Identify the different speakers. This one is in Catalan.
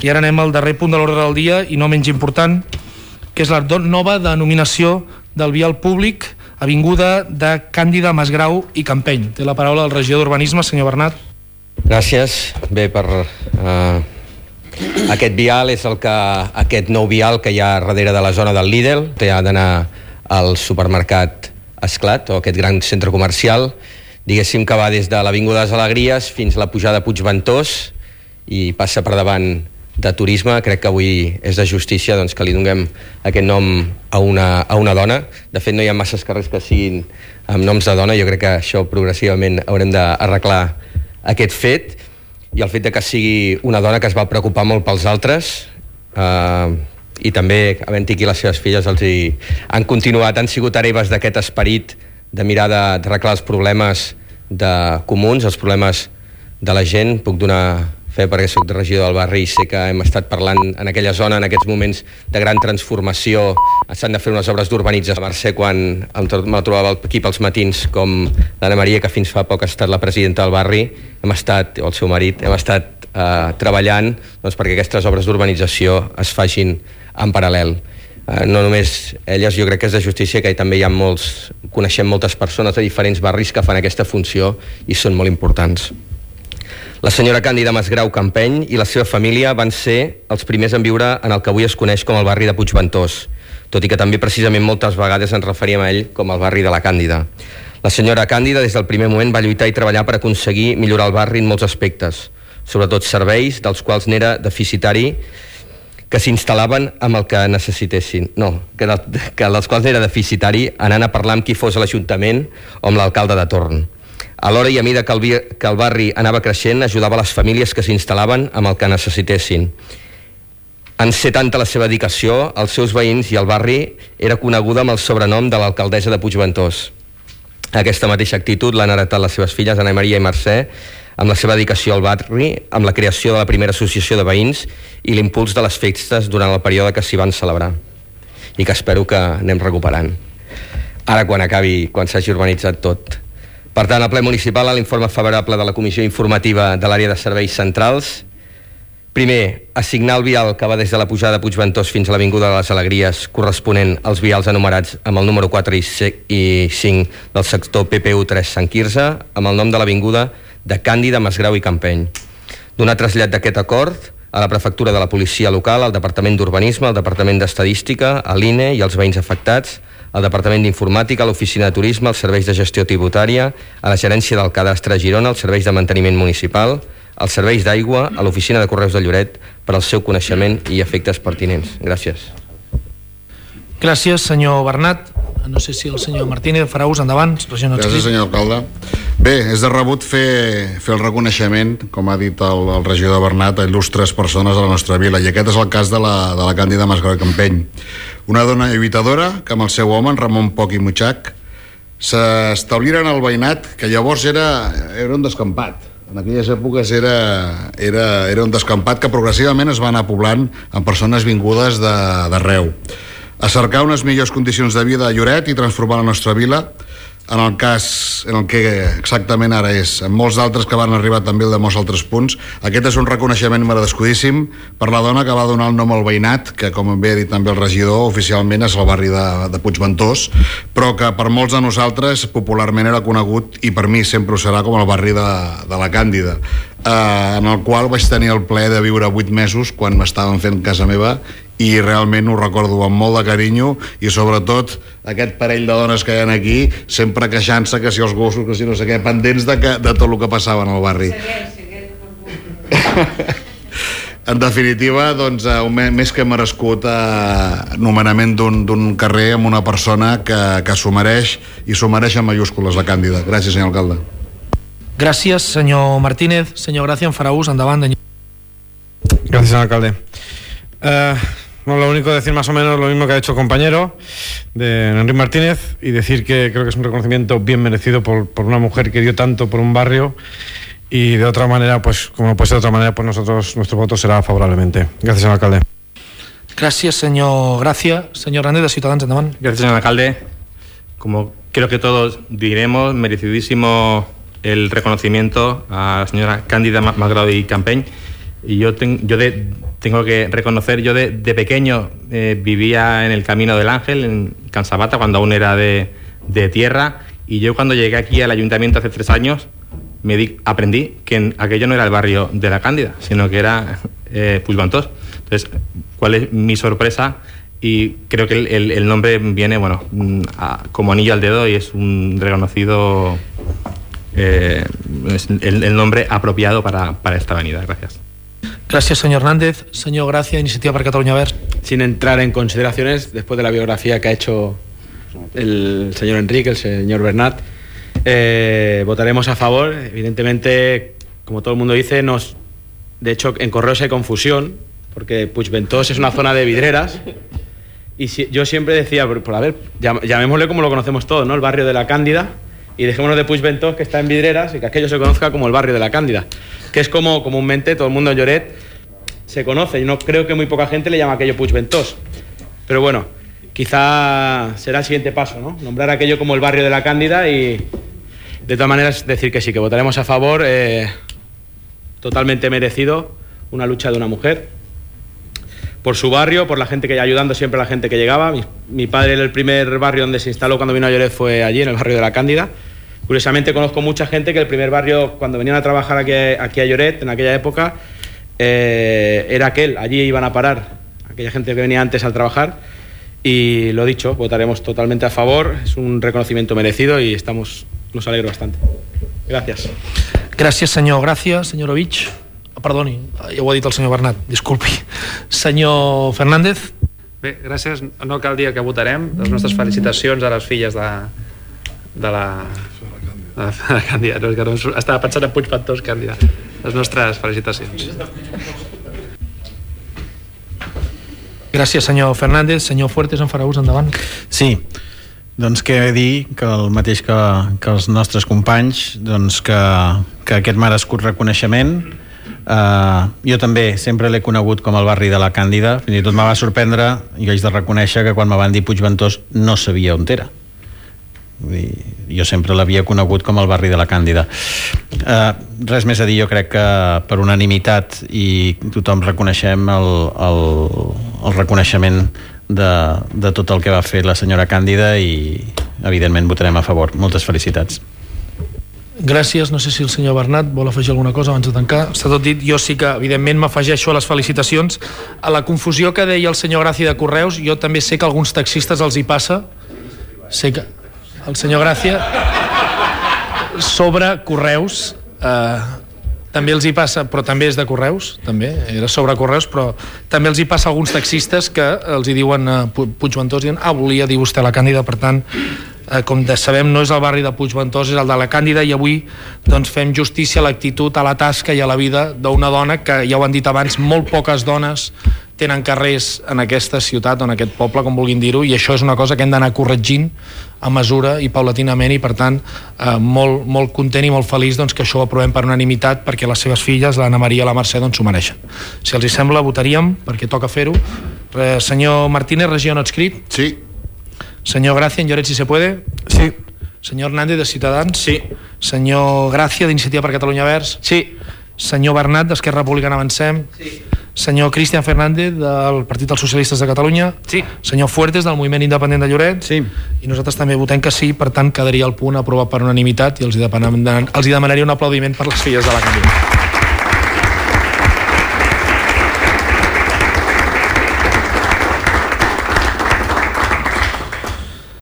Speaker 1: I ara anem al darrer punt de l'ordre del dia, i no menys important, que és la nova denominació del vial públic avinguda de Càndida, Masgrau i Campeny. Té la paraula el regidor d'Urbanisme, senyor Bernat.
Speaker 2: Gràcies. Bé, per aquest vial és aquest nou vial que hi ha darrere de la zona del Lidl. Té d'anar al supermercat Esclat, o aquest gran centre comercial, diguéssim que va des de l'Avinguda de les Alegries fins a la pujada a Puigventós i passa per davant de Turisme. Crec que avui és de justícia doncs, que li donem aquest nom a una dona. De fet, no hi ha masses carrers que siguin amb noms de dona. Jo crec que això progressivament haurem d'arreglar aquest fet, i el fet de que sigui una dona que es va preocupar molt pels altres, i també, havent-hi aquí les seves filles, han continuat, han sigut hereves d'aquest esperit de mirar d'arreglar els problemes comuns, els problemes de la gent. Puc donar fe perquè soc regidor del barri i sé que hem estat parlant en aquella zona en aquests moments de gran transformació. S'han de fer unes obres d'urbanització. A Mercè, quan me trobava aquí pels matins, com l'Anna Maria, que fins fa poc ha estat la presidenta del barri, o el seu marit, hem estat treballant doncs, perquè aquestes obres d'urbanització es facin en paral·lel. No només elles, jo crec que és de justícia que també coneixem moltes persones de diferents barris que fan aquesta funció i són molt importants. La senyora Càndida Masgrau Campeny i la seva família van ser els primers en viure en el que avui es coneix com el barri de Puigventós, tot i que també precisament moltes vegades ens referíem a ell com el barri de la Càndida. La senyora Càndida des del primer moment va lluitar i treballar per aconseguir millorar el barri en molts aspectes, sobretot serveis dels quals n'era deficitari, que s'instal·laven amb el que necessitessin. Que dels quals n'era deficitari anant a parlar amb qui fos a l'Ajuntament o amb l'alcalde de torn. Alhora, i a mesura que el barri anava creixent, ajudava les famílies que s'instal·laven amb el que necessitessin. En ser tanta la seva dedicació, els seus veïns i el barri era coneguda amb el sobrenom de l'alcaldessa de Puigventós. Aquesta mateixa actitud l'han heretat les seves filles, Anna Maria i Mercè, amb la seva dedicació al barri, amb la creació de la primera associació de veïns i l'impuls de les festes durant el període que s'hi van celebrar, i que espero que anem recuperant ara quan s'hagi urbanitzat tot. Per tant, el ple municipal, a l'informe favorable de la Comissió Informativa de l'Àrea de Serveis Centrals, primer, assignar el vial que va des de la pujada de Puigventós fins a l'Avinguda de les Alegries, corresponent als vials enumerats amb el número 4 i 5 del sector PPU 3 Sant Quirze, amb el nom de l'Avinguda de Càndida, Masgrau i Campeny. Donar trasllat d'aquest acord a la Prefectura de la Policia Local, al Departament d'Urbanisme, al Departament d'Estadística, a l'INE i als veïns afectats, al Departament d'Informàtica, a l'Oficina de Turisme, als Serveis de Gestió Tributària, a la Gerència del Cadastre a Girona, als Serveis de Manteniment Municipal, als Serveis d'Aigua, a l'Oficina de Correus de Lloret, per al seu coneixement i efectes pertinents. Gràcies.
Speaker 1: Gràcies, senyor Bernat. No sé si el senyor Martínez farà ús. Endavant, regidor.
Speaker 3: Gràcies, senyor alcalde. Bé, és de rebut fer el reconeixement, com ha dit el regidor Bernat, a il·lustres persones de la nostra vila, i aquest és el cas de la Càndida Masgrau i Campeny, una dona lluitadora que amb el seu home, en Ramon Poch i Mutxac, s'establiren al veïnat, que llavors era un descampat. En aquelles èpoques era un descampat que progressivament es va anar poblant amb persones vingudes d'arreu, a cercar unes millors condicions de vida a Lloret i transformar la nostra vila en el cas en el que exactament ara és. En molts d'altres que van arribar també de molts altres punts. Aquest és un reconeixement merescudíssim per la dona que va donar el nom al veïnat, que, com bé ha dit també el regidor, oficialment és el barri de Puigventós, però que per molts de nosaltres popularment era conegut, i per mi sempre ho serà, com el barri de la Càndida, en el qual vaig tenir el plaer de viure 8 mesos quan m'estaven fent casa meva, i realment ho recordo amb molt de carinyo, i sobretot aquest parell de dones que hi ha aquí sempre queixant-se que si els gossos, que si no sé què, pendents de tot el que passava en el barri. En definitiva, doncs, més que merescut nomenament d'un carrer amb una persona que s'ho mereix, i s'ho mereix en mayúscules, la Càndida. Gràcies, senyor alcalde.
Speaker 1: Gràcies, senyor Martínez. Senyor Gracia, en farà ús. Endavant.
Speaker 4: Gracias, señor alcalde. Lo único decir más o menos lo mismo que ha hecho el compañero de Enrique Martínez, y decir que creo que es un reconocimiento bien merecido por una mujer que dio tanto por un barrio, y de otra manera, pues como no puede ser de otra manera, pues nuestro voto será favorablemente. Gracias, señor alcalde.
Speaker 1: Gracias, señor Gracia. Señor Hernández, de Ciudadanos, endavant.
Speaker 5: Gracias, señor alcalde. Como creo que todos diremos, merecidísimo el reconocimiento a la señora Càndida Masgrau y Campeny, y yo tengo que reconocer, yo de pequeño vivía en el Camino del Ángel, en Can Sabata, cuando aún era de tierra, y yo cuando llegué aquí al ayuntamiento hace 3 años, aprendí que aquello no era el barrio de la Cándida, sino que era Puigventós. Entonces, ¿cuál es mi sorpresa? Y creo que el nombre viene, bueno, como anillo al dedo, y es un reconocido, es el nombre apropiado para esta avenida. Gracias.
Speaker 1: Gracias, señor Hernández. Señor Gracia, Iniciativa per Catalunya Verds.
Speaker 6: Sin entrar en consideraciones, después de la biografía que ha hecho el señor Enrique, el señor Bernat, votaremos a favor. Evidentemente, como todo el mundo dice, de hecho en Correos hay confusión, porque Puigventós es una zona de vidreras, y yo siempre decía, a ver, llamémosle como lo conocemos todos, ¿no? El barrio de la Cándida, y dejémonos de Puigventós, que está en vidreras, y que aquello se conozca como el barrio de la Cándida, que es como comúnmente todo el mundo en Lloret se conoce. Yo no creo que muy poca gente le llama aquello Puigventós, pero bueno, quizá será el siguiente paso, ¿no? Nombrar aquello como el barrio de la Cándida, y de todas maneras decir que sí, que votaremos a favor. Totalmente merecido, una lucha de una mujer por su barrio, por la gente que ayudando siempre a la gente que llegaba. Mi padre, el primer barrio donde se instaló cuando vino a Lloret fue allí, en el barrio de la Cándida. Curiosamente conozco mucha gente que el primer barrio, cuando venían a trabajar aquí a Lloret, en aquella época, era aquel, allí iban a parar aquella gente que venía antes al trabajar. Y lo dicho, votaremos totalmente a favor, es un reconocimiento merecido y nos alegra bastante. Gracias.
Speaker 1: Gràcies, senyor Gràcia. Senyor Ovich. Perdoni, ja ho ha dit el senyor Bernat, disculpi. Senyor Fernández.
Speaker 7: Bé, gràcies. No cal dir que votarem. Les nostres felicitacions a les filles de la Càndida. No, és que no, estava pensant en Puigventós, Càndida. Les nostres felicitacions.
Speaker 1: Gràcies, senyor Fernández. Senyor Fuertes, en farà ús, endavant.
Speaker 8: Sí, doncs què dir que el mateix que els nostres companys, doncs que aquest merescut reconeixement. Jo també sempre l'he conegut com el barri de la Càndida, fins i tot me va sorprendre, i haig de reconèixer que quan me van dir Puigventós no sabia on era. Jo sempre l'havia conegut com el barri de la Càndida. Res més a dir, jo crec que per unanimitat i tothom reconeixem el reconeixement de tot el que va fer la senyora Càndida, i evidentment votarem a favor. Moltes felicitats.
Speaker 1: Gràcies. No sé si el senyor Bernat vol afegir alguna cosa abans de tancar. Està tot dit. Jo sí que evidentment m'afegeixo a les felicitacions. A la confusió que deia el senyor Gràcia de Correus, jo també sé que a alguns taxistes els hi passa, sé que el senyor Gràcia sobre Correus també els hi passa, però també és de Correus, també era sobre Correus, però també els hi passa a alguns taxistes que els hi diuen Puigventós, diuen, volia dir vostè la Càndida. Per tant, com sabem, no és el barri de Puigventós, és el de la Càndida, i avui doncs fem justícia a l'actitud, a la tasca i a la vida d'una dona que, ja ho han dit abans, molt poques dones tenen carrers en aquesta ciutat o en aquest poble, com vulguin dir-ho, i això és una cosa que hem d'anar corregint a mesura i paulatinament, i per tant molt content i molt feliç doncs, que això ho aprovem per unanimitat, perquè les seves filles, l'Anna Maria i la Mercè, doncs s'ho mereixen. Si els hi sembla, votaríem, perquè toca fer-ho. Senyor Martínez, regió no adscrit.
Speaker 3: Sí.
Speaker 1: Senyor Gracia, en Lloret, si se puede.
Speaker 6: Sí.
Speaker 1: Senyor Hernández, de Ciutadans.
Speaker 6: Sí.
Speaker 1: Senyor Gracia, d'Iniciativa per Catalunya Verds.
Speaker 6: Sí.
Speaker 1: Senyor Bernat, d'Esquerra Republicana Avancem.
Speaker 6: Sí.
Speaker 1: Senyor Cristian Fernández, del Partit dels Socialistes de Catalunya.
Speaker 6: Sí.
Speaker 1: Senyor Fuertes, del Moviment Independent de Lloret.
Speaker 8: Sí.
Speaker 1: I nosaltres també votem que sí, per tant quedaria el punt aprovat per unanimitat, i els hi demanaria un aplaudiment per les filles de la Càndida.